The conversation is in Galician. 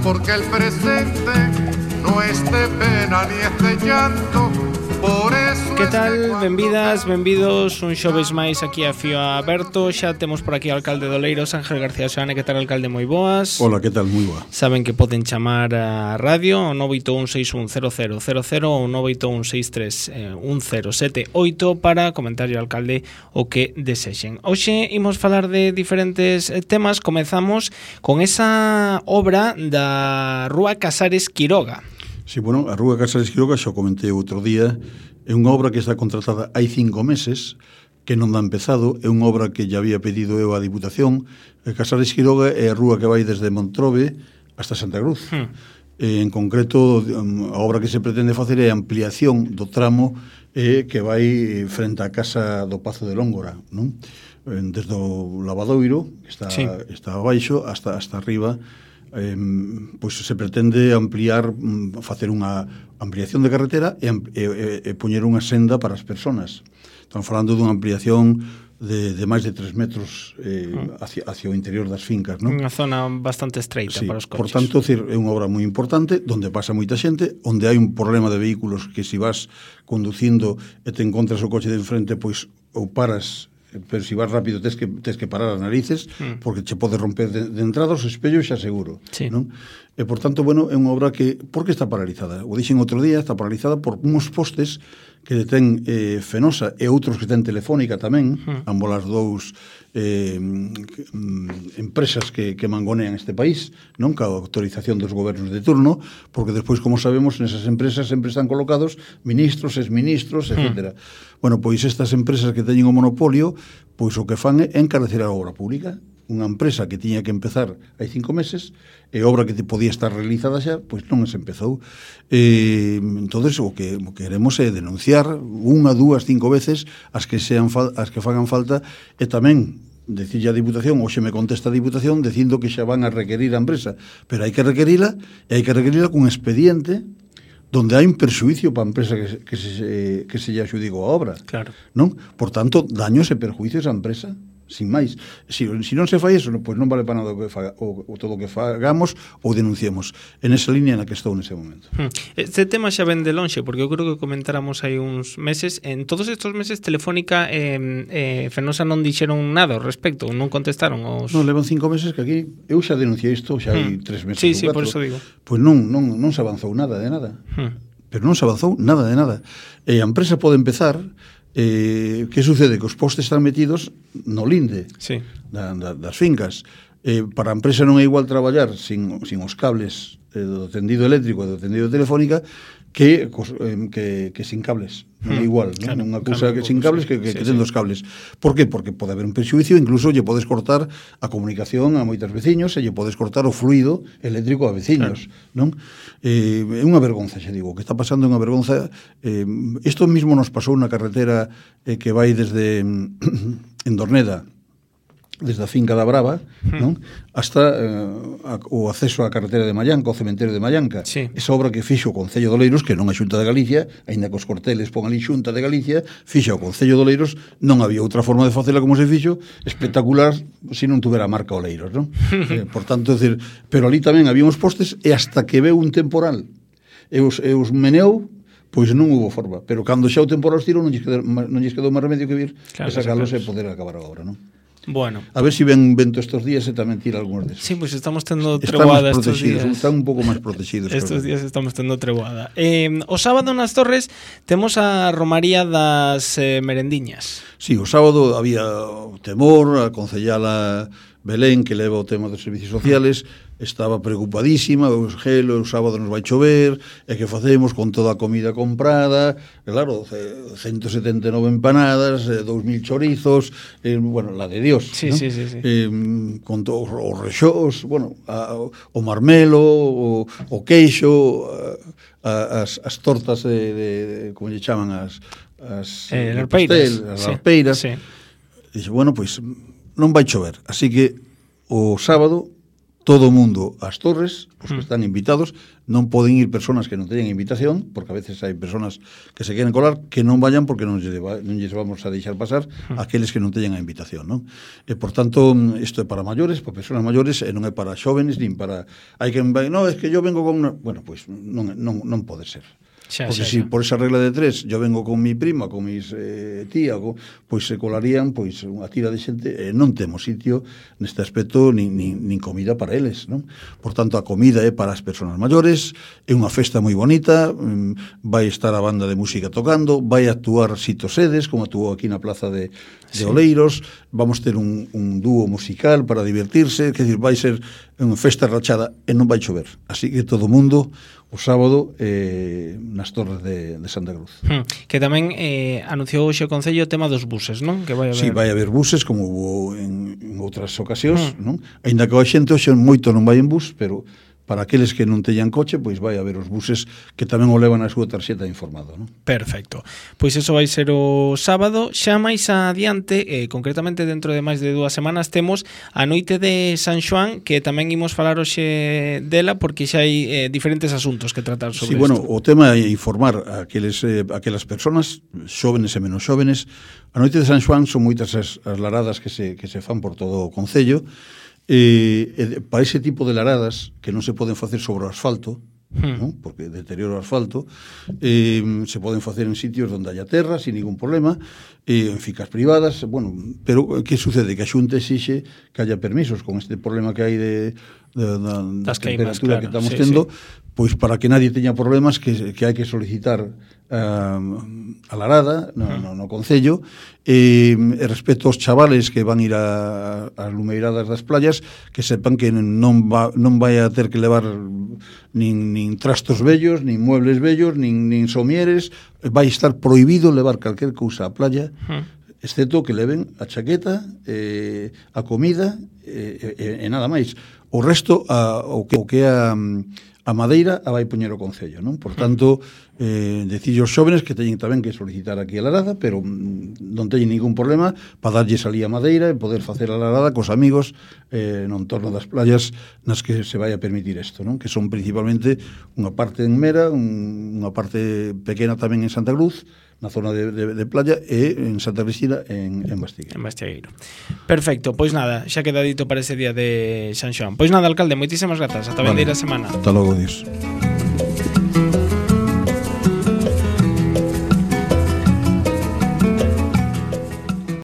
porque el presente no es de pena ni es de llanto. Por eso que tal? Benvidas, benvidos un xoves máis aquí a Fío Aberto. Xa temos por aquí ao alcalde de Oleiros, Ángel García Soane. Que tal, alcalde? Moi boas. Hola, que tal? Moi boa. Saben que poden chamar a radio ao 981610000 ou 981631078 para comentar ao alcalde o que desexen. Hoxe imos falar de diferentes temas. Comezamos con esa obra da Rúa Casares Quiroga. Sí, bueno, a Rúa Casares Quiroga, xa comentei outro día, é unha obra que está contratada hai 5 meses, que non dá empezado, é unha obra que ya había pedido eu á Diputación. Casares Quiroga é a rúa que vai desde Montrobe hasta Santa Cruz. En concreto, a obra que se pretende facer é a ampliación do tramo que vai frente á casa do Pazo de Lóngora, non? Desde o lavadoiro, que está abaixo, hasta arriba. Pois se pretende ampliar, facer unha ampliación de carretera e poñer unha senda para as persoas. Estamos falando dunha ampliación de máis de 3 metros hacia o interior das fincas, non? Unha zona bastante estreita, sí, para os coches. Por tanto, é unha obra moi importante, onde pasa moita xente, onde hai un problema de vehículos que se vas conducindo e te encontras o coche de enfrente, pois ou paras, pero se vas rápido tes que parar as narices, porque che pode romper de entrada os espellos, xa seguro, sí, non? E, por tanto, bueno, é unha obra que, por que está paralizada? O dixen outro día, está paralizada por uns postes que ten Fenosa e outros que ten Telefónica tamén, ambos as dous empresas que mangonean este país, non? Ca autorización dos gobernos de turno, porque despois, como sabemos, nesas empresas sempre están colocados ministros, exministros, etc. Bueno, pois estas empresas que teñen o monopolio, pois o que fan é encarecer a obra pública. Unha empresa que tiña que empezar hai 5 meses e obra que podía estar realizada xa, pois non se empezou. Entonces, o que queremos é denunciar 1, 2, 5 veces as que fagan falta, e tamén decirlle a Diputación, hoxe me contesta a Diputación dicindo que xa van a requerir a empresa, pero hai que requerila, e hai que requerila cun expediente donde hai un perxuicio para a empresa que se lle axudicou a obra. Claro. Non? Por tanto, daños e perjuicios á empresa, sin máis. Si non se fai eso, pois non vale para nada o todo o que fagamos ou denunciemos. En esa línea na que estou nese momento. Este tema xa ven de lonxe, porque eu creo que comentáramos hai uns meses. En todos estes meses Telefónica e Fenosa non dixeron nada ao respecto, non contestaron os... Non, levan 5 meses que aquí eu xa denunciei isto, xa hai 3 meses. Sí, por eso digo. Pois non se avanzou nada de nada. Pero non se avanzou nada de nada. E a empresa pode empezar. Que sucede? Que os postes están metidos no linde, sí, das fincas. Para a empresa non é igual traballar sin os cables do tendido eléctrico e do tendido telefónica que sin cables. Non é igual, non? Claro, unha cousa que sin cables que tendo os cables. Por que? Porque pode haber un perxuicio, incluso lle podes cortar a comunicación a moitos veciños e lle podes cortar o fluido eléctrico a veciños, claro, non? É unha vergonza, xa digo, o que está pasando é unha vergonza. Isto mismo nos pasou na carretera que vai desde Endorneda, desde a finca da Brava, non? Hasta o acceso á carretera de Mallanca, o cementerio de Mallanca. Sí. Esa obra que fixo o Concello de Oleiros, que non a Xunta de Galicia, aínda que os corteles pon ali Xunta de Galicia, fixo o Concello de Oleiros, non había outra forma de facela como se fixo, espectacular, se non tuvera a marca Oleiros, non? Por tanto, decir, pero ali tamén había uns postes, e hasta que veu un temporal e os meneou, pois non hubo forma. Pero cando xa o temporal estirou, non lles quedou máis remedio que vir, claro, e sacalos e poder acabar a obra, non? Bueno. A ver se ven vento estos días e tamén tira algúns desos. Sí, pois estamos tendo treboada estos días. Están un pouco máis protegidos. Estos días estamos tendo treboada. O sábado nas Torres temos a Romaría das Merendiñas. Sí, o sábado había o temor, a concellala Belén, que leva o tema dos servicios sociales, estaba preocupadísima, o sábado nos vai chover, e que facemos con toda a comida comprada, claro, 179 empanadas, 2.000 chorizos, bueno, la de Dios, sí, ¿no? Sí. Con todos os rexós, bueno, o marmelo, o queixo, as tortas de como lle chaman, as arpeiras, sí. Dixe, bueno, pois non vai chover, así que o sábado todo o mundo ás torres, os que están invitados, non poden ir persoas que non teñen invitación, porque a veces hai persoas que se queren colar, que non vayan porque non lles vamos a deixar pasar aqueles que non teñen a invitación, non? E, por tanto, isto é para maiores, para persoas maiores, e non é para xóvenes, nin para... Hai que... No, es que yo vengo con... Bueno, pois non pode ser. Porque si por esa regla de 3 yo vengo con mi prima, con mis tía, pois se colarían pois unha tira de xente, non temos sitio neste aspecto nin comida para eles, non? Por tanto, a comida é para as persoas maiores, é unha festa moi bonita, vai estar a banda de música tocando, vai actuar Sito Sedes, como actuou aquí na plaza de Oleiros, vamos ter un dúo musical para divertirse, quer dizer, vai ser unha festa rachada e non vai chover, así que todo o mundo o sábado nas Torres de Santa Cruz. Que tamén anunciou hoxe o Concello o tema dos buses, non? Que vai haber... Sí, vai haber buses, como hubo en outras ocasións, non? Ainda que a xente hoxe moito non vai en bus, pero para aqueles que non teñan coche, pois vai haber os buses que tamén o levan a súa tarxeta informado, non? Perfecto. Pois eso vai ser o sábado. Xa máis adiante, concretamente dentro de máis de 2 semanas, temos a noite de San Xoán, que tamén imos falar hoxe dela, porque xa hai diferentes asuntos que tratar sobre isto. Sí, bueno, o tema é informar a aquelas persoas, xóvenes e menos xóvenes. A noite de San Xoán son moitas as laradas que se fan por todo o Concello. Para ese tipo de laradas que non se poden facer sobre o asfalto, ¿no? Porque deteriora o asfalto, se poden facer en sitios onde haya terra sin ningún problema, en ficas privadas, bueno, pero que sucede? Que a Xunta exixe que haya permisos con este problema que hai da temperatura que estamos tendo, pois para que nadie teña problemas que hai que solicitar a larada no Concello, e respecto aos chavales que van ir ás lumeiradas das playas, que sepan que non vai a ter que levar nin trastos vellos, nin muebles vellos, nin somieres, vai estar prohibido levar calquer cousa á playa, excepto que leven a chaqueta, a comida e nada máis. O resto, o que é a madeira a vai poñer o Concello, non? Por tanto, decillo aos xóvenes que teñen tamén que solicitar aquí a larada, pero non teñen ningún problema para darlles ali a madeira e poder facer a larada cos amigos no entorno das playas nas que se vai a permitir isto, non? Que son principalmente unha parte en Mera, unha parte pequena tamén en Santa Cruz, na zona de playa, e en Santa Cristina en Bastigueiro. En Bastigueiro. Perfecto, pois nada, xa queda dito para ese día de San Xoán. Pois nada, alcalde, moitísimas grazas. Ata vendeira semana. Ata logo, Dios.